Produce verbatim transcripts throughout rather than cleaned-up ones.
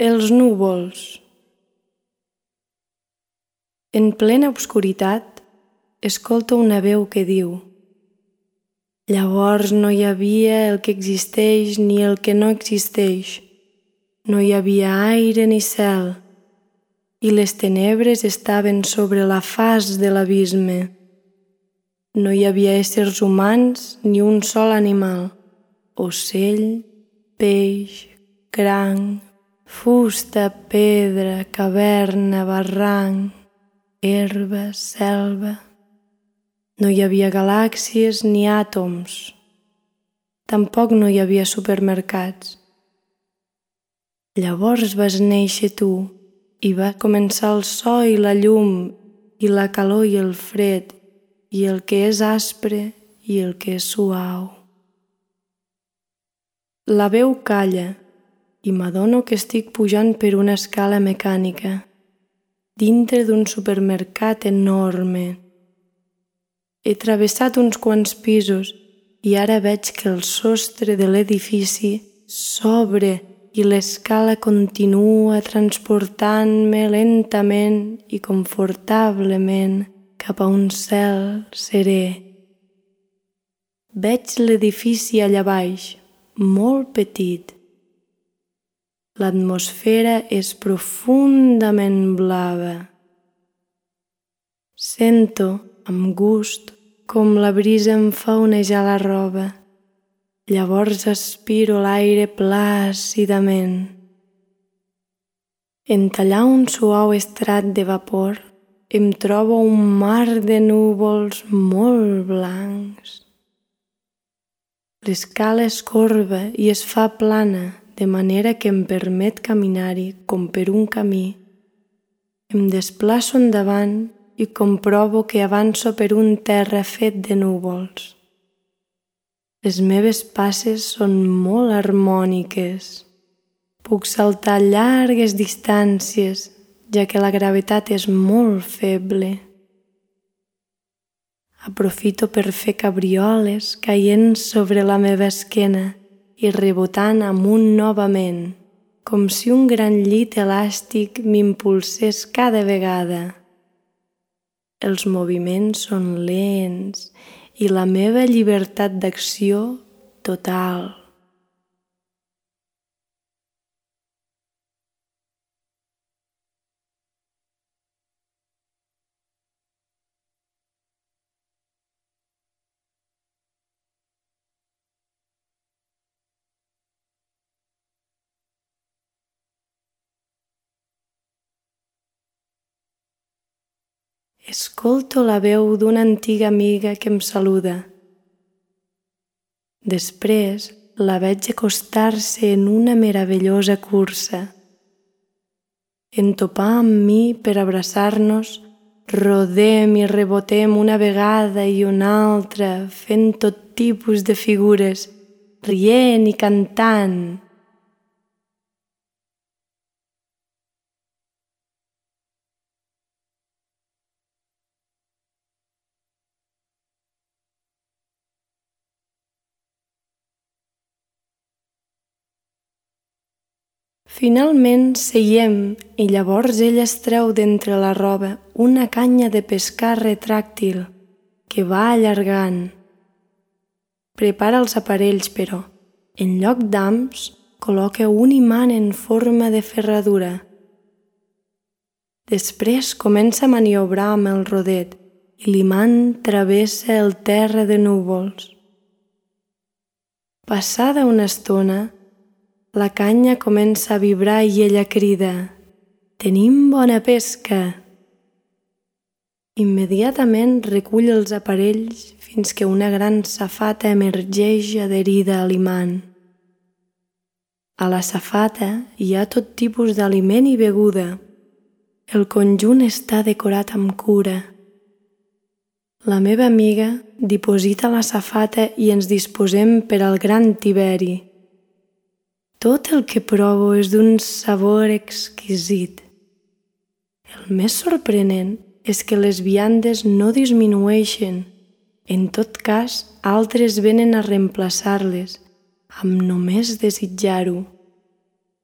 Els núvols. En plena obscuritat, escolto una veu que diu: llavors no hi havia el que existeix ni el que no existeix. No hi havia aire ni cel, i les tenebres estaven sobre la faç de l'abisme. No hi havia éssers humans ni un sol animal, ocell, peix, cranc, fusta, pedra, caverna, barranc, herba, selva. No hi havia galàxies ni àtoms. Tampoc no hi havia supermercats. Llavors vas néixer tu i va començar el so i la llum i la calor i el fred i el que és aspre i el que és suau. La veu calla i m'adono que estic pujant per una escala mecànica dintre d'un supermercat enorme. He travessat uns quants pisos i ara veig que el sostre de l'edifici s'obre i l'escala continua transportant-me lentament i confortablement cap a un cel serè. Veig l'edifici allà baix, molt petit. L'atmosfera és profundament blava. Sento, amb gust, com la brisa em fa onejar la roba. Llavors aspiro l'aire plàcidament. En tallar un suau estrat de vapor, em trobo un mar de núvols molt blancs. L'escala és corba i es fa plana, de manera que em permet caminar-hi com per un camí. Em desplaço endavant i comprovo que avanço per un terra fet de núvols. Les meves passes són molt harmòniques. Puc saltar llargues distàncies, ja que la gravetat és molt feble. Aprofito per fer cabrioles caient sobre la meva esquena i rebotant amunt novament, com si un gran llit elàstic m'impulsés cada vegada. Els moviments són lents i la meva llibertat d'acció total. Escolto la veu d'una antiga amiga que em saluda. Després la veig acostar-se en una meravellosa cursa. En topar amb mi per abraçar-nos, rodem i rebotem una vegada i una altra, fent tot tipus de figures, rient i cantant. Finalment seiem i llavors ella es treu d'entre la roba una canya de pescar retràctil que va allargant. Prepara els aparells, però, en lloc d'hams, col·loca un imant en forma de ferradura. Després comença a maniobrar amb el rodet i l'imant travessa el terra de núvols. Passada una estona, la canya comença a vibrar i ella crida: «Tenim bona pesca!» Immediatament recull els aparells fins que una gran safata emergeix adherida a l'imant. A la safata hi ha tot tipus d'aliment i beguda. El conjunt està decorat amb cura. La meva amiga diposita la safata i ens disposem per al gran tiberi. Tot el que provo és d'un sabor exquisit. El més sorprenent és que les viandes no disminueixen. En tot cas, altres venen a reemplaçar-les, amb només desitjar-ho.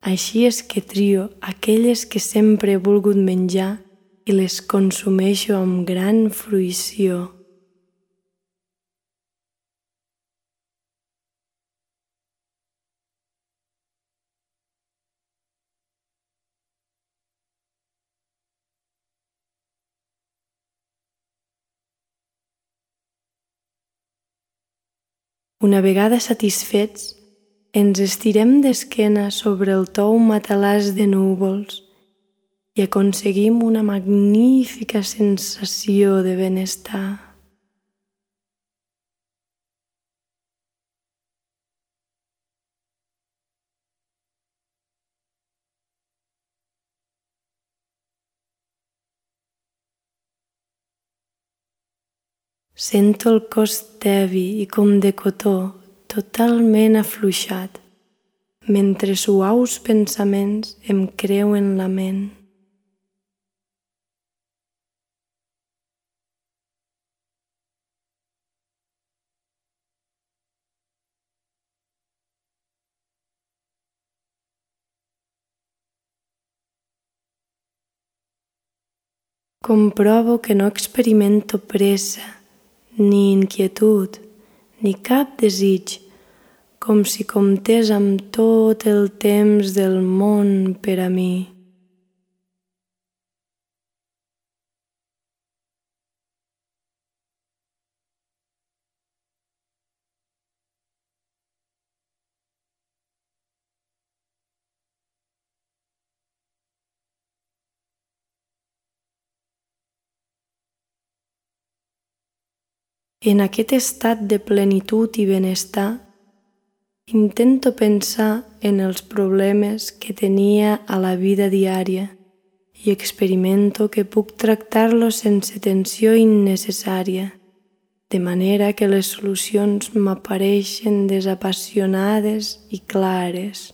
Així és que trio aquelles que sempre he volgut menjar i les consumeixo amb gran fruïció. Una vegada satisfets, ens estirem d'esquena sobre el tou matalàs de núvols i aconseguim una magnífica sensació de benestar. Sento el cos tebi i com de cotó, totalment afluixat, mentre suaus pensaments em creuen la ment. Comprovo que no experimento pressa, ni inquietud, ni cap desig, com si comptés amb tot el temps del món per a mi. En aquest estat de plenitud i benestar, intento pensar en els problemes que tenia a la vida diària i experimento que puc tractar-los sense tensió innecessària, de manera que les solucions m'apareixen desapassionades i clares.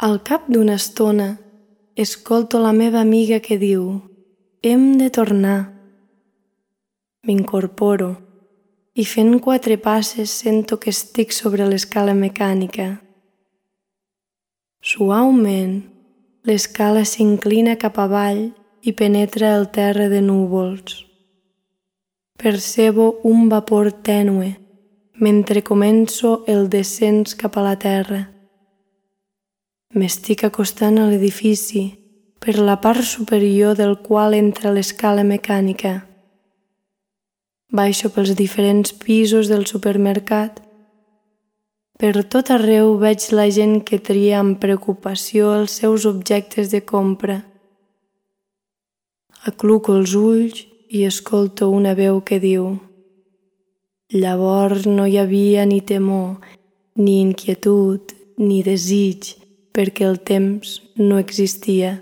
Al cap d'una estona, escolto la meva amiga que diu: «Hem de tornar». M'incorporo i fent quatre passes sento que estic sobre l'escala mecànica. Suaument, l'escala s'inclina cap avall i penetra el terra de núvols. Percebo un vapor tènue mentre començo el descens cap a la terra. M'estic acostant a l'edifici, per la part superior del qual entra l'escala mecànica. Baixo pels diferents pisos del supermercat. Per tot arreu veig la gent que tria amb preocupació els seus objectes de compra. Acluco els ulls i escolto una veu que diu: «Llavors no hi havia ni temor, ni inquietud, ni desig, perquè el temps no existia».